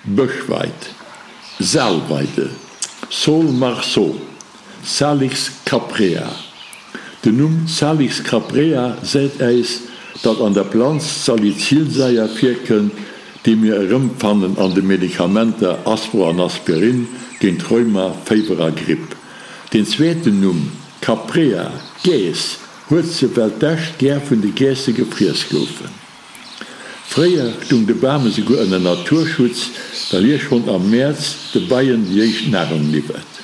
Bëschweid, Saalweide, Saule marceau, Salix caprea. Den Numm Salix caprea seet äis, datt an der Planz Salicylsaier virkënnt, déi mir erëmfannen an de Medikamenter Aspro an Aspirin géint Rheuma, Féiwer a Gripp. Den zweeten Numm Caprea, Geess, huet se, well d'Äscht gär vun de Geesse gefriess goufen. Fréier stung de Bam esouguer ënner Naturschutz, well hie schonn am Mäerz de Beien déi éischt Nahrung liwwert.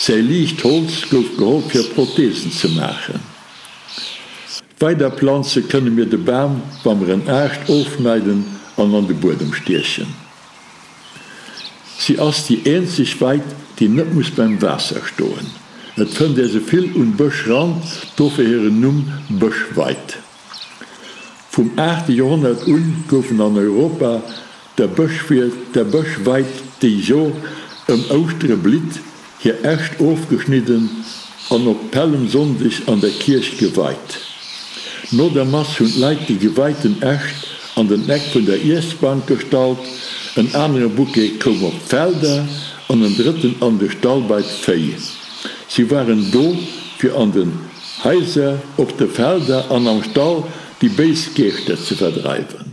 Säi liicht Holz gouf geholl fir Prothesen ze maachen. Weider planze kënne mir de Bam, wa mer en Aascht ofschneiden an an de Buedem stiechen. Si ass déi eenzeg Weid, déi net muss beim Waasser stoen. Et fënnt ee se vill un Bëschrand, dofir hiren Numm Bëschweid. Vum aachte Joerhonnert un goufen an Europa der Bëschwied, der Bëschweid, déi jo ëm Ouschtere blitt, hir Äscht ofgeschnidden an op Pällemsonndeg an der Kierch geweit. No der Mass hunn d'Leit déi geweiten Äscht an den Eck vun der Iessbank gestallt, en anere Bouquet koum op d'Felder an en drëtten an de Stall bei d'Véi. Si waren do, fir an den Haiser, op de Felder an am Stall déi béis Geeschter ze verdreiwen.